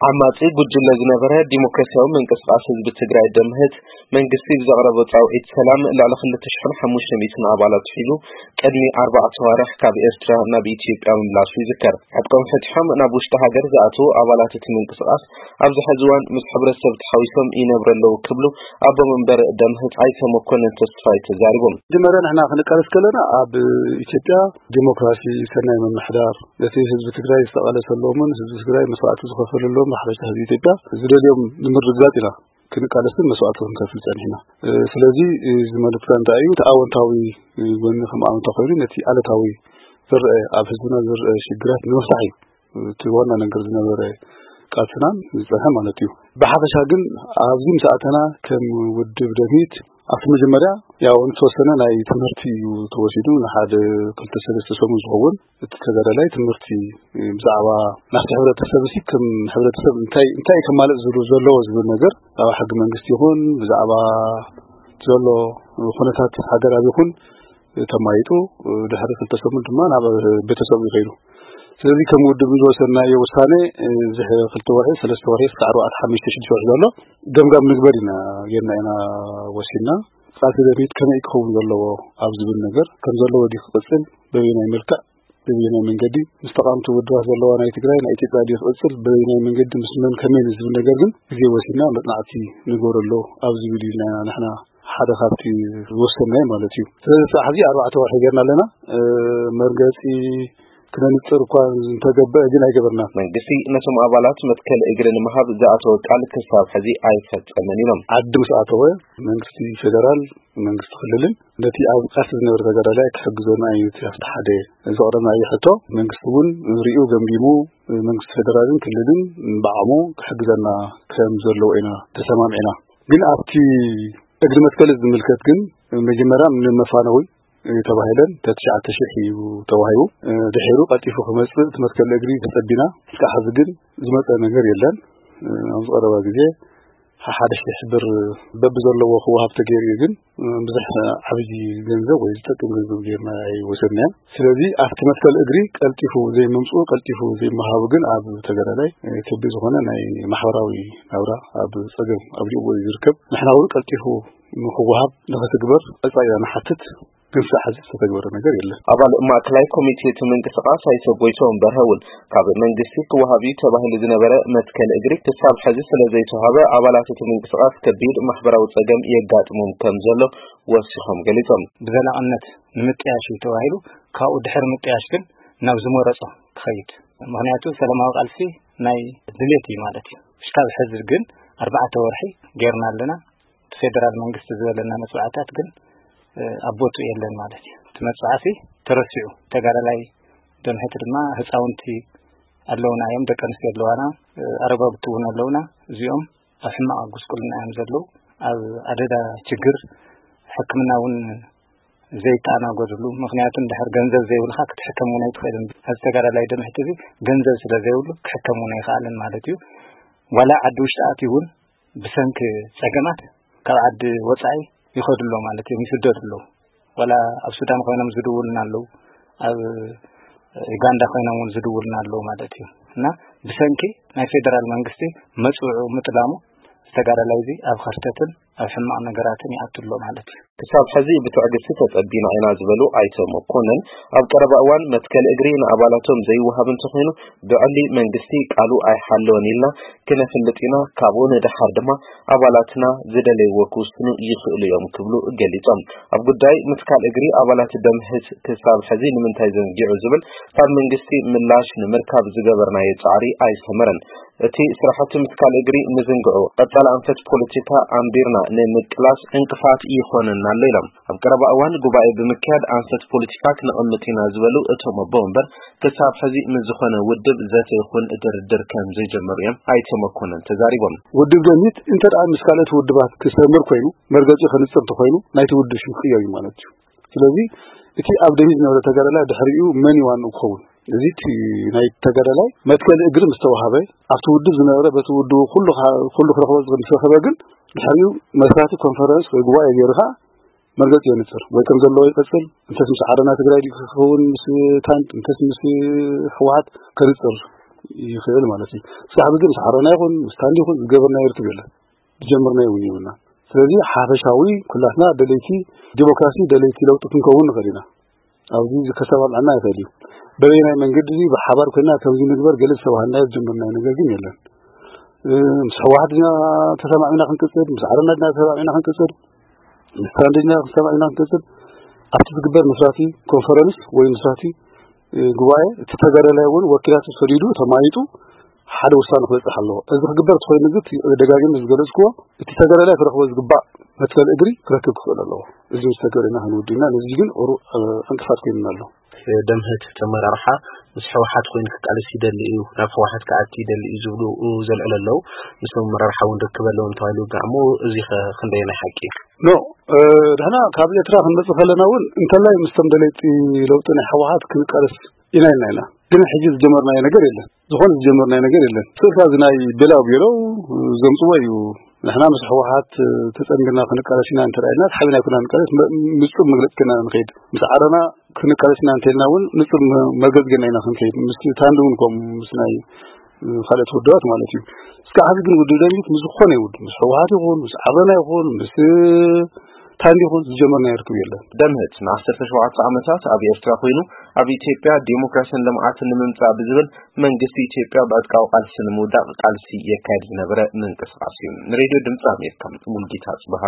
ዓማጺ ጉጅለ ዝነበረ ዲሞክራሲያዊ ምንቅስቃስ ህዝቢ ትግራይ ደምህት፣ መንግስቲ ብዘቕረቦ ጻውዒት ሰላም ልዕሊ ክልተ ሽሕን ሓሙሽተ ሚእትን ኣባላት ሒዙ ቅድሚ ኣርባዕተ ኣዋርሕ ካብ ኤርትራ ናብ ኢትዮጵያ ምምላሱ ይዝከር። ዕጥቆም ፈቲሖም ናብ ውሽጢ ሃገር ዝኣትዉ ኣባላት እቲ ምንቅስቃስ ኣብዚ ሕዚ እዋን ምስ ሕብረተሰብ ተሓዊሶም ይነብሩ ኣለዉ ክብሉ ኣቦ መንበር ደምህት ኣይተ መኮንን ተስፋይ ተዛሪቦም። መጀመርያ ንሕና ክንቃለስ ከለና ኣብ ኢትዮጵያ ዲሞክራሲ፣ ሰናይ ምምሕዳር፣ ነቲ ህዝቢ ትግራይ ዝተቓለሰሎምን ህዝቢ ትግራይ መስዋዕቲ ዝኸፈለሎም፣ ብሓፈሻ ህዝቢ ኢትዮጵያ ዝደልዮም ንምርግጋጽ ኢና ክንቃለስን መስዋዕቲ ክንከፍል ጸኒሕና። እ፣ ስለዚ፣ እ፣ እዚ መልእክትና እንታይ እዩ? እቲ ኣወንታዊ፣ እ፣ ጎኒ ከም ኣወንታ ኮይኑ፣ ነቲ ኣሉታዊ ዝረአ፣ ኣብ ህዝብና ዝረአ ሽግራት ንምፍታሕ እዩ እቲ ዋና ነገር ዝነበረ ቃልስናን ዝጸንሐ ማለት እዩ። ብሓፈሻ ግን ኣብዚ ምስ ኣተና ከም ውድብ ደምሂት ኣብቲ መጀመርያ ያው ዝተወሰነ ናይ ትምህርቲ እዩ ተወሲዱ። ንሓደ ክልተ ሰለስተ ሰሙን ዝኸውን እቲ ተጋዳላይ ትምህርቲ ብዛዕባ ናብቲ ሕብረተሰብ ሲ ከም ሕብረተሰብ እንታይ፣ እንታይ ከማልእ ዝብሉ ዘለዎ ዝብል ነገር ብዛዕባ ሕጊ መንግስቲ ይኹን ብዛዕባ ዘሎ ኩነታት ሃገራዊ ይኹን ተማይጡ ድሕሪ ክልተ ሰሙን ድማ ናብ ቤተሰቡ ይኸይዱ። ስለዚ ከም ውድብ ዝወሰድናዮ ውሳኔ እዚ ክልተ ወርሒ፣ ሰለስተ ወርሒ፣ እስከ ኣርባዕተ፣ ሓሙሽተ፣ ሽዱሽተ ወርሒ ዘሎ ገምጋም ንግበር ኢና ጌርና ኢና ወሲድና። ቃልሲ ደምሂት ከመይ ክኸውን ዘለዎ ኣብ ዝብል ነገር ከም ዘለዎ ድዩ ክቕጽል፣ በበየናይ መልክዕ፣ በበየናይ መንገዲ ምስ ተቓምቲ ውድባት ዘለዋ ናይ ትግራይ ናይ ኢትዮጵያ ድዩ ክቕጽል፣ በበየናይ መንገዲ ምስ መን ከመይ ዝብል ነገር ግን ግዜ ወሲድና መጽናዕቲ ንግበረሉ ኣብ ዝብል ኢልና ኢና ንሕና ሓደ ካብቲ ዝወሰንናዮ ማለት እዩ። ስለዚ ስራሕ እዚ ኣርባዕተ ወርሒ ጌርና ኣለና። እ፣ መርገጺ ክነንጽር እኳ እንተገበአ ግን ኣይገበርናን። መንግስቲ ነቶም ኣባላት መትከል እግሪ ንምሃብ ዝኣተወ ቃል ክሳብ ሕዚ ኣይፈጸመን ኢሎም። ዓዲ ምስ ኣተወ መንግስቲ ፌደራል፣ መንግስቲ ክልልን ነቲ ኣብ ቃልሲ ዝነበረ ተጋዳላይ ክሕግዘና እዩ እቲ ኣብቲ ሓደ ዘቕረብናዮ ሕቶ። መንግስቲ እውን ሪኡ ገምጊሙ፣ መንግስቲ ፌደራልን ክልልን ብዓቕሙ ክሕግዘና ከም ዘለዎ ኢና ተሰማሚዕና። ግን ኣብቲ እግሪ መትከል ዝምልከት ግን መጀመርያ ንመፋነዊ ተባሂለን ተትሽዓተ ሺሕ እዩ ተዋሂቡ። ድሒሩ ቀልጢፉ ክመጽእ እቲ መትከል እግሪ ተጸቢና። እስካብ ሕዚ ግን ዝመጸ ነገር የለን። ኣብዚ ቀረባ ግዜ ሓደ ሺሕ ብር በብዘለዎ ክወሃብ ተገይሩ እዩ፣ ግን ብዙሕ ዓብዪ ገንዘብ ወይ ዝጠቅም ገንዘብ ጌርና ኣይወሰድናዮን። ስለዚ ኣብቲ መትከል እግሪ ቀልጢፉ ዘይምምፅኡ፣ ቀልጢፉ ዘይምሃቡ ግን ኣብ ተጋዳላይ ከቢድ ዝኾነ ናይ ማሕበራዊ ናብራ ኣብ ፀገም ኣብ ልእዎ እዩ ዝርከብ። ንሕና እውን ቀልጢፉ ንክወሃብ ንክትግበር ቀፃይ ኢና ንሓትት። ግን ሳዕ ሕዚ ዝተተግበረ ነገር የለን። ኣባል ማእከላይ ኮሚቴ እቲ ምንቅስቃስ ኣይተ ጎይትኦም በርሀ እውን ካብ መንግስቲ ክወሃብ እዩ ተባሂሉ ዝነበረ መትከል እግሪ ክሳብ ሕዚ ስለ ዘይተዋሃበ ኣባላት እቲ ምንቅስቃስ ከቢድ ማሕበራዊ ጸገም የጋጥሞም ከም ዘሎ ወሲኾም ገሊጾም። ብዘላቕነት ንምጥያሽ እዩ ተባሂሉ፣ ካብኡ ድሕሪ ምጥያሽ ግን ናብ ዝመረጾ ክኸይድ፣ ምኽንያቱ ሰላማዊ ቃልሲ ናይ ድሌት እዩ ማለት እዩ። እስካብ ሕዚ ግን ኣርባዕተ ወርሒ ጌርና ኣለና። እቲ ፌደራል መንግስቲ ዝበለና መጽዋዕታት ግን ኣብ ቦትኡ የለን ማለት እዩ። እቲ መጽዋዕሲ ተረሲዑ፣ ተጋዳላይ ደምሕቲ ድማ ህፃውንቲ ኣለውና እዮም፣ ደቂ ኣንስትዮ ኣለዋና፣ ኣረጋግቲ እውን ኣለውና። እዚኦም ኣብ ሕማቕ ጉስቁልና እዮም ዘለዉ። ኣብ ኣደዳ ችግር ሕክምና እውን ዘይተኣናገድሉ፣ ምኽንያቱ እንድሕር ገንዘብ ዘይብልካ ክትሕከም እውን ኣይትኽእልን። እዚ ተጋዳላይ ደምሕቲ እዚ ገንዘብ ስለ ዘይብሉ ክሕከም እውን ኣይኽኣልን ማለት እዩ። ዋላ ዓዲ ውሽጢ ኣትዩ እውን ብሰንኪ ጸገማት ካብ ዓዲ ወጻኢ ይኸዱ ኣለዉ ማለት እዮም፣ ይስደዱ ኣለዉ። ዋላ ኣብ ሱዳን ኮይኖም ዝድውሉና ኣለዉ፣ ኣብ ዩጋንዳ ኮይኖም እውን ዝድውሉና ኣለዉ ማለት እዩ። እና ብሰንኪ ናይ ፌደራል መንግስቲ መጽውዑ ምጥላሙ ዝተጋዳላይ እዚ ኣብ ኸርተትን ኣብ ሕማቕ ነገራትን ይኣቱ ኣሎ ማለት እዩ። ክሳብ ሕዚ ብትዕግስቲ ተጸቢና ኢና ዝበሉ ኣይተ መኮንን፣ ኣብ ቀረባ እዋን መትከል እግሪ ንኣባላቶም ዘይወሃብ እንተኾይኑ ብዕሊ መንግስቲ ቃሉ ኣይሓለወን ኢልና ክነፍልጥ ኢና፣ ካብኡ ንደሓር ድማ ኣባላትና ዝደለይዎ ክውስኑ ይኽእሉ እዮም ክብሉ ገሊጾም። ኣብ ጉዳይ ምትካል እግሪ ኣባላት ደምህት ክሳብ ሕዚ ንምንታይ ዘንጊዑ ዝብል ካብ መንግስቲ ምላሽ ንምርካብ ዝገበርናዮ ጻዕሪ ኣይሰመረን። እቲ ስራሕቲ ምትካል እግሪ ምዝንግዑ ቀጻሊ ኣንፈት ፖለቲካ ኣንቢርና ንምቅላስ ዕንቅፋት ይኾነና ኣሎ ኢሎም። ኣብ ቀረባ እዋን ጉባኤ ብምክያድ ኣንፈት ፖለቲካ ክነቐምጥ ኢና ዝበሉ እቶም ኣቦ ወንበር ክሳብ ሕዚ ምስ ዝኾነ ውድብ ዘተ ይኹን ድርድር ከም ዘይጀመሩ እዮም ኣይተ መኮንን ተዛሪቦም። ውድብ ደምሂት እንተ ደኣ ምስ ካልኦት ውድባት ክሰምር ኮይኑ መርገጺ ከንጽር እንተኾይኑ ናይቲ ውድብ ሽም ክቕየር እዩ ማለት እዩ። ስለዚ እቲ ኣብ ደምሂት ዝነበረ ተጋዳላይ ድሕሪኡ መን እዩ ዋንኡ ክኸውን? እዚ እቲ ናይ ተጋዳላይ መትከል እግሪ ምስ ተዋሃበ ኣብቲ ውድብ ዝነበረ በቲ ውድቡ ኩሉ ክረኽቦ ምስ ረኸበ ግን ድሕሪኡ መስራቲ ኮንፈረንስ ወይ ጉባኤ ገይሩ ከዓ መርገፂ የንፅር ወይ ከም ዘለዎ ይቐፅል። እንተስ ምስ ዓረና ትግራይ ድዩ ክኸውን ምስ ታንት እንተስ ምስ ህወሓት ከንፅር ይኽእል ማለት እዩ። ክሳብ ግን ምስ ዓረና ይኹን ምስ ታንዲ ይኹን ዝገበርናዮ ርክብ የለን፣ ዝጀመርናዮ እውን የብልና። ስለዚ ሓፈሻዊ ኩላትና ደለይቲ ዲሞክራሲ፣ ደለይቲ ለውጢ ክንከውን ንኽእል ኢና። ኣብዚ ከሰማምዐና ይኽእል እዩ። በበየናይ መንገዲ እዚ ብሓባር ኮይና ከምዚ ንግበር ገለ ዝተባሃልናዮ ዝጀመርናዮ ነገር ግን የለን። እ፣ ምስ ህወሓት ኢና ተሰማሚዕና ክንቅፅል፣ ምስ ዓረና ኢና ተሰማሚዕና ክንቅፅል፣ ምስ ታንዲ ኢና ተሰማሚዕና ክንቅፅል። ኣብቲ ዝግበር መስራቲ ኮንፈረንስ ወይ መስራቲ፣ እ፣ ጉባኤ እቲ ተጋዳላይ እውን ወኪላቱ ሰዲዱ ተማይጡ ሓደ ውሳነ ክበፅሕ ኣለዎ። እዚ ክግበር ተኾይኑ ግን እቲ ደጋጊመ ዝገለፅክዎ እቲ ተጋዳላይ ክረኽቦ ዝግባእ መትከል እግሪ ክረክብ ክኽእል ኣለዎ። እዚ ምስ ተገበረና ክንውድና ነዚ ግን ቁሩእ፣ እ፣ ዕንቅፋት ኮይኑና ኣሎ። ደምህት እቲ ኣመራርሓ ምስ ህወሓት ኮይኑ ክቃለስ ይደሊ እዩ፣ ናብ ህወሓት ክኣቲ ይደሊ እዩ ዝብሉ ዘልዕሉ ኣለዉ። ምስቶም ኣመራርሓ እውን ርክብ ኣለዎም ተባሂሉ ይውጋዕ እሞ፣ እዚ ኸ ክንደየናይ ሓቂ እዩ? ኖ፣ እ፣ ድሕና ካብ ኤርትራ ክንመጽእ ከለና እውን እንተላይ ምስቶም ደለይቲ ለውጢ ናይ ህወሓት ክንቃለስ ኢና ኢልና ኢና። ግን ሕጂ ዝጀመርናዮ ነገር የለን። ዝኾነ ዝጀመርናዮ ነገር የለን። ስእልካ እዚ ናይ ቤላው ቤላው ዘምጽዎ እዩ። ንሕና ምስ ህወሓት ተጸንቢርና ክንቃለስ ኢና እንተ ኢልና፣ ሓቢና ኣይኮና ንቃለስ፣ መ-፣ ንጹር መግለጺ ኮይና ንኸይድ። ምስ ዓረና ክንቃለስ ኢና እንተ ኢልና እውን ንጹር መ-፣ መርገጺ ገና ኢና ክንከይድ። ምስ ታንዲ እውን ከምኡ፣ ምስ ናይ፣ እ፣ ካልኦት ውድባት ማለት እዩ። እስካዕ ሕዚ ግን ውድብ ደምሂት ምስ ዝኾነ ይኹን፣ ምስ ህወሓት ይኹን፣ ምስ ዓረና ይኹን፣ ምስ፣ እ፣ ታንዲ ይኹን ዝጀመርናዮ ርክብ የለን። ደምህት ንዓሰርተ ሸውዓተ ዓመታት ኣብ ኤርትራ ኮይኑ ኣብ ኢትዮጵያ ዲሞክራስን ልምዓትን ንምምጻእ ብዝብል መንግስቲ ኢትዮጵያ ብዕጥቃዊ ቃልሲ ንምውዳቕ ቃልሲ የካየድ ዝነበረ ምንቅስቓስ እዩ። ንሬድዮ ድምፂ ኣሜሪካ ሙልጌታ ጽበሃ